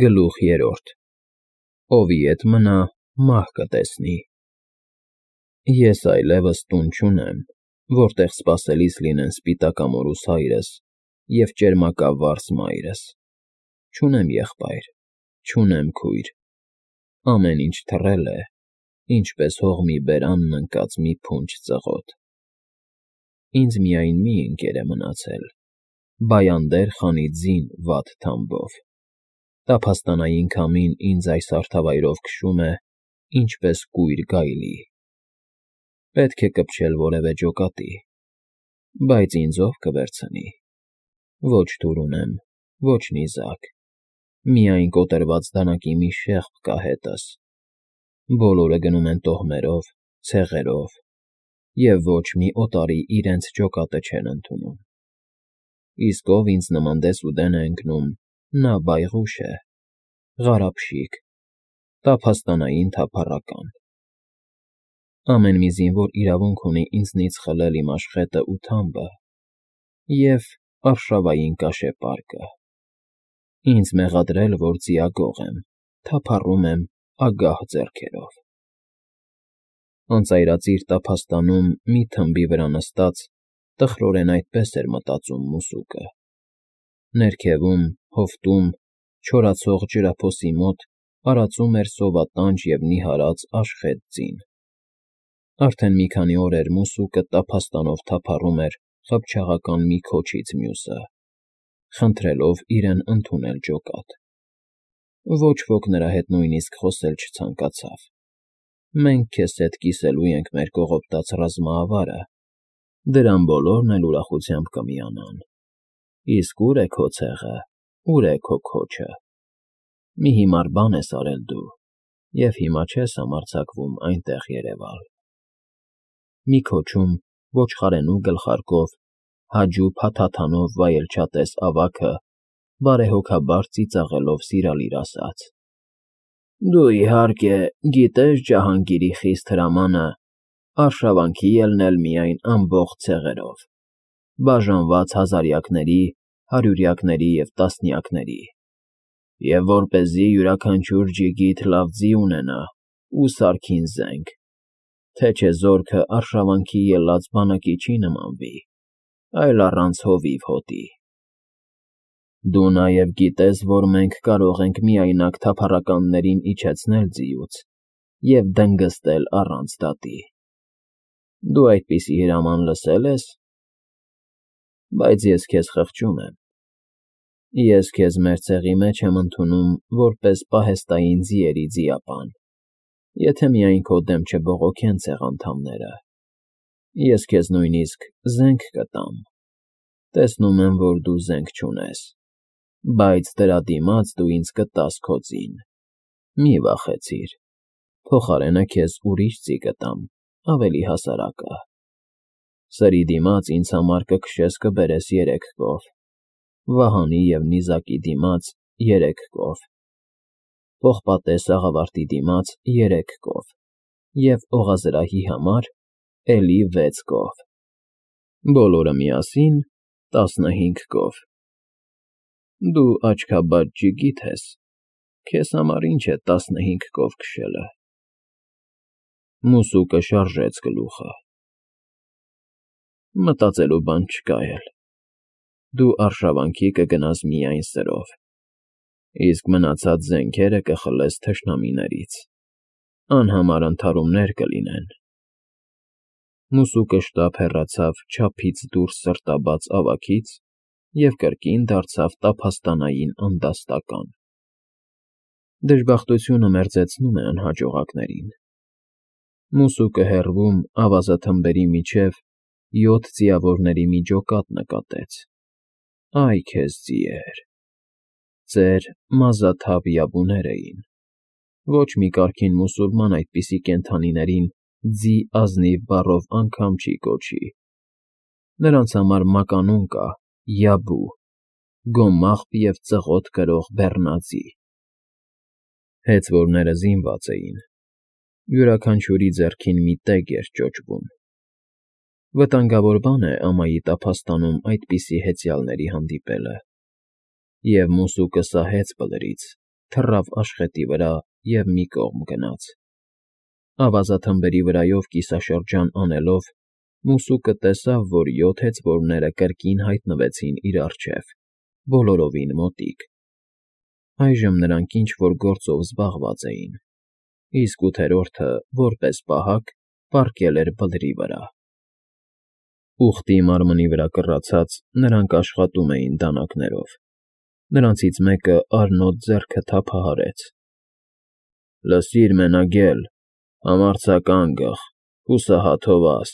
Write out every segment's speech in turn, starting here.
Գլուխ 3 Ովի ետ մնա, մահ կտեսնի։ Ես այլևս տուն չունեմ, որտեղ սպասելիս լինեն սպիտակամորուս հայրս և ճերմակավարս մայրս, չունեմ եղբայր, չունեմ քույր, ամեն ինչ թռել է, ինչպես հողմի բերանն ընկած մի փունջ ծղոտ։ Ինձ միայն մի ընկեր է մնացել, Բայանդեր խանի ձին վատ թամբով, տափաստանային քամին ինձ այս հարթավայրով քշում է, ինչպես կույր գայլի։ Պետք է կպչել որևէ ջոկատի, բայց ինձ ո՞վ կվերցնի, ոչ թուր ունեմ, ոչ նիզակ, միայն կոտրված դանակի մի շեղբ կա հետս, բոլորը գնում են տոհմերով, ցեղերով, և ոչ մի օտարի իրենց ջոկատը չեն ընդունում։ Իսկ ով ինձ նման դեսուդեն է ընկնում, նա բայղուշ է, ղարաբշիկ, տափաստանային թափառական։ Ամեն մի զինվոր իրավունք ունի ինձնից խլել իմ աշխետն ու թամբը և արշավային կաշեպարկը, ինձ մեղադրել, որ ձիագող եմ, թափառում եմ ագահ ձեռքերով։ Անծայրածիր տափաստանում մի թմբի վրա նստած տխրորեն այդպես էր մտածում մուսուկը։ Ներքևում, հովտում, չորացող ջրափոսի մոտ արածում էր սովատանջ և նիհարած աշխետ ձին։ Արդեն մի քանի օր էր մուսուկը տափաստանով թափառում էր խփճաղական մի քոչից մյուսը, խնդրելով իրեն ընդունել ջոկատ։ Ոչ ոք նրա հետ նույնիսկ խոսել չցանկացավ։ Մենք քեզ հետ կիսելու ենք մեր կողոպտած ռազմաավարը, դրան բոլորն էլ ուրախությամբ կմիանան։ Իսկ ո՞ւր է քո ցեղը, ո՞ւր է քո քոչը։ Մի հիմար բան ես արել դու, և հիմա չես համարձակվում այնտեղ երևալ։ Մի քոչում ոչխարենու գլխարկով, հաջու փաթաթանով վայելչատես ավագը բարեհոգաբար ծիծաղելով սիրալիր ասաց. «Դու, իհարկե, գիտես Ջահանգիրի խիստ հրամանը արշավանքի ելնել միայն ամբողջ ցեղերով, բաժանված հազարյակների, հարյուրյակների և տասնյակների, և որպեսզի յուրաքանչյուր ջիգիթ լավ ձի ունենա ու սարքին զենք, թե չէ զորքը արշավանքի ելած բանակի չի նմանվի, այլ առանց հովիվ հոտի։ Դու նաև գիտես, որ մենք կարող ենք միայնակ թափառականներին իջեցնել ձիուց և դնգստել առանց դատի։ Դու այդպիսի հրաման լսե՞լ ես։ Բայց ես քեզ խղճում եմ։ Ես քեզ մեր ցեղի մեջ եմ ընդունում որպես պահեստային ձիերի ձիապան, եթե միայն քո դեմ չբողոքեն ցեղանդամները։ Ես քեզ նույնիսկ զենք կտամ։ Տեսնում եմ, որ դու զենք չունես, բայց դրա դիմաց դու ինձ կտաս քո ձին։ Մի վախեցիր, փոխարենը քեզ ուրիշ ձի կտամ, ավելի հասարակը։ Սրի դիմաց ինձ համար կքշես կբերես 3 կով, վահանի և նիզակի դիմաց 3 կով, պողպատե սաղավարտի դիմաց 3 կով և օղազրահի համար էլի 6 կով, բոլորը միասին 15 կով։ Դու աչքաբաց ջիգիթ ես, քեզ համար ինչ է 15 կով քշելը։ Մուսուկը շարժեց գլուխը։ Մտածելու բան չկա էլ։ Դու արշավանքի կգնաս միայն սրով, իսկ մնացած զենքերը կխլես թշնամիներից, անհամար ընդհարումներ կլինեն։ Մուսուկը շտապ հեռացավ չափից դուրս սրտաբաց ավագից և կրկին դարձավ տափաստանային անդաստական։ Դժբախտությունը մերձեցնում է անհաջողակներին։ Մուսուկը հեռվում ավազաթմբերի միջև 7 ձիավորների մի ջոկատ նկատեց։ Այ քեզ ձիեր։ Ծեր մազաթափ յաբուներ էին։ Ոչ մի կարգին մուսուլման այդպիսի կենդանիներին ձի ազնիվ բառով անգամ չի կոչի։ Նրանց համար մականուն կա յաբու, գոմաղբ և ծղոտ կրող բեռնաձի։ Հեծվորները զինված էին։ Յուրաքանչյուրի ձեռքին մի տեգ էր ճոճվում։ Վտանգավոր բան է ամայի տափաստանում այդպիսի հեծյալների հանդիպելը, և մուսուկը սահեց բլրից, թռավ աշխետի վրա և մի կողմ գնաց։ Ավազաթմբերի վրայով կիսաշրջան անելով, մուսուկը տեսավ, որ 7 հեծվորները կրկին հայտնվեցին իր առջև, բոլորովին մոտիկ։ Այժմ նրանք ինչ֊որ գործով զբաղված էին, իսկ ութերորդը, որպես պահակ, պառկել էր բլրի վրա։ Ուղտի մարմնի վրա կռացած, նրանք աշխատում էին դանակներով։ Նրանցից մեկը արնոտ ձեռքը թափահարեց։ ֊ Լսիր, մենագել, համարձակ անգղ, հուսահատ հովաս,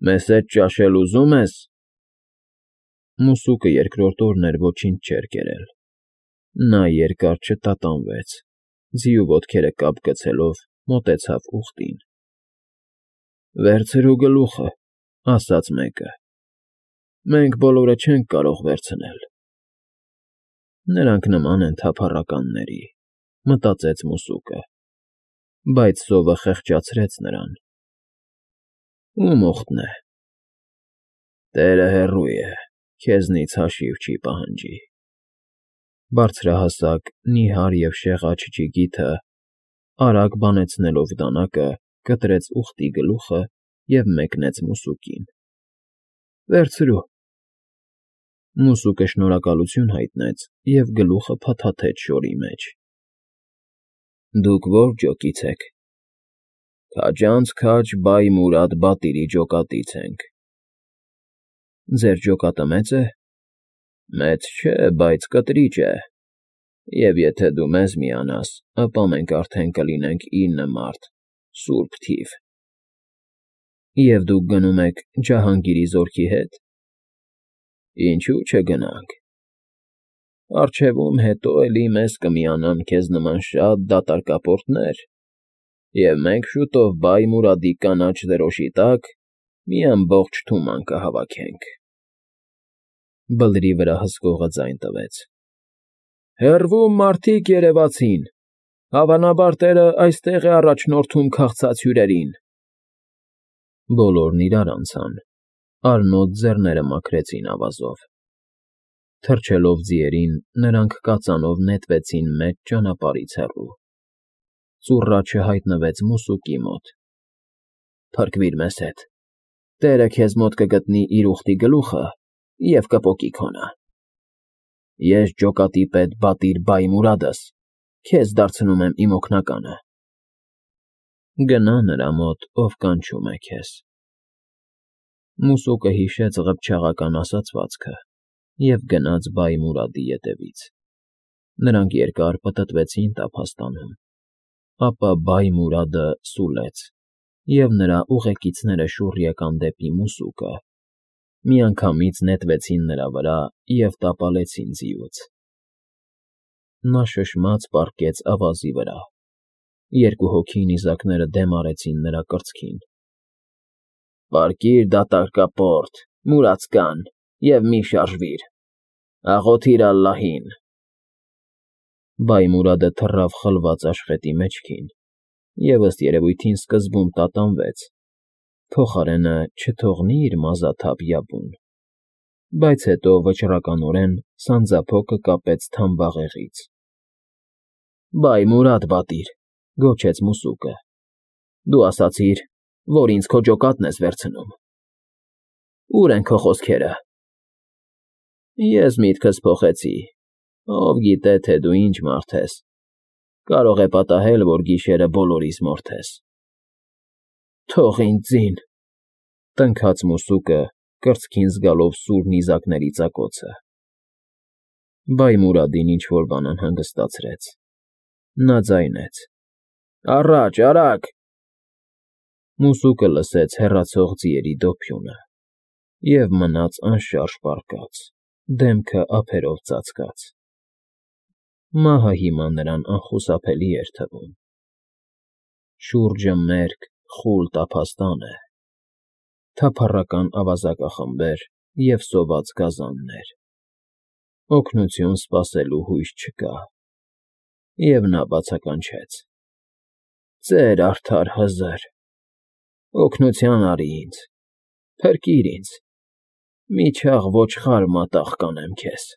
մեզ հետ ճաշել ուզում ես։ Մուսուկը երկրորդ օրն էր ոչինչ չէր կերել։ Նա երկար չտատանվեց, ձիու ոտքերը կապ գցելով մոտեցավ ուղտին։ Վերցրու գլուխը, ասաց մեկը, մենք բոլորը չենք կարող վերցնել։ Նրանք նման են թափառականների, մտածեց մուսուկը, բայց սովը խեղճացրեց նրան։ Ում ուղտն է։ Տերը հեռու է, քեզնից հաշիվ չի պահանջի։ Բարձրահասակ, նիհար և շեղաճ ջիգիթը, արագ բանեցնելով դանակը, կտրեց ուղտի գլուխը և մեկնեց մուսուկին։ Վերցրու։ Մուսուկը շնորհակալություն հայտնեց և գլուխը փաթաթեց շորի մեջ։ Դուք ո՞ր ջոկից եք։ Քաջանց քաջ Բայ Մուրադ բատիրի ջոկատից ենք։ Ձեր ջոկատը մեծ է։ Մեծ չէ, բայց կտրիճ է, և եթե դու մեզ միանաս, ապա մենք արդեն կլինենք 9 մարդ, սուրբ թիվ։ Եվ դուք գնում եք Ջահանգիրի զորքի հետ։ Ինչու՞ չգնանք։ Առջևում հետո էլի մեզ կմիանան քեզ նման շատ դատարկապորտներ, և մենք շուտով Բայ Մուրադի կանաչ դրոշի տակ մի ամբողջ թուման կհավաքենք։ Բլրի վրա հսկողը ձայն տվեց. Հեռվում մարդիկ երևացին, հավանաբար տերը այստեղ է առաջնորդում քաղցած հյուրերին։ Բոլորն իրար անցան, արնոտ ձեռները մաքրեցին ավազով։ Թռչելով ձիերին, նրանք կածանով նետվեցին մեծ ճանապարհից հեռու։ Ծուռաչը հայտնվեց մուսուկի մոտ։ Փրկվիր մեզ հետ, տերը քեզ մոտ կգտնի իր ուղտի գլուխը և կպոկի քոնը։ Ես ջոկատի պետ բատիր Բայ Մուրադս քեզ դարձնում եմ իմ օգնականը։ Գնա նրա մոտ, ով կանչում է քեզ։ Մուսուկը հիշեց ղփչաղական ասացվածքը և գնաց Բայ Մուրադի ետևից։ Նրանք երկար պտտվեցին տափաստանում, ապա Բայ Մուրադը սուլեց, և նրա ուղեկիցները շուռ եկան դեպի մուսուկը, միանգամից նետվեցին նրա վրա և տապալեցին ձիուց։ Նա շշմած պառկեց ավազի վրա։ Երկու հոգի նիզակները դեմ արեցին նրա կրծքին։ Պառկիր, դատարկապորտ, մուրացկան, և մի շարժվիր, աղոթիր ալլահին։ Բայ Մուրադը թռավ խլված աշխետի մեջքին և ըստ երևույթին սկզբում տատանվեց, փոխարենը չթողնի իր մազաթափ յաբուն, բայց հետո վճռականորեն սանձափոկը կապեց թամբաղեղից։ Բայ Մուրադ բատիր, գոչեց մուսուկը, դու ասացիր, որ ինձ քո ջոկատն ես վերցնում։ Ո՞ւր են քո խոսքերը։ Ես միտքս փոխեցի, ով գիտե, թե դու ինչ մարդ ես, կարող է պատահել, որ գիշերը բոլորիս մորթես։ Թող ինձ ձին, տնքաց մուսուկը, կրծքին զգալով սուր նիզակների ծակոցը։ Բայ Մուրադին ինչ֊որ բան անհանգստացրեց։ Նա ձայնեց. Առաջ, արագ։ Մուսուկը լսեց հեռացող ձիերի դոփյունը և մնաց անշարժ պառկած, դեմքը ափերով ծածկած։ Մահը հիմա նրան անխուսափելի էր թվում։ Շուրջը մերկ, խուլ տափաստան է, թափառական ավազակախմբեր և սոված գազաններ։ Օգնություն սպասելու հույս չկա։ Եվ նա բացականչեց. Ծեր արդար Հզր, օգնության արի ինձ, փրկիր ինձ, մի չաղ ոչխար մատաղ կանեմ քեզ։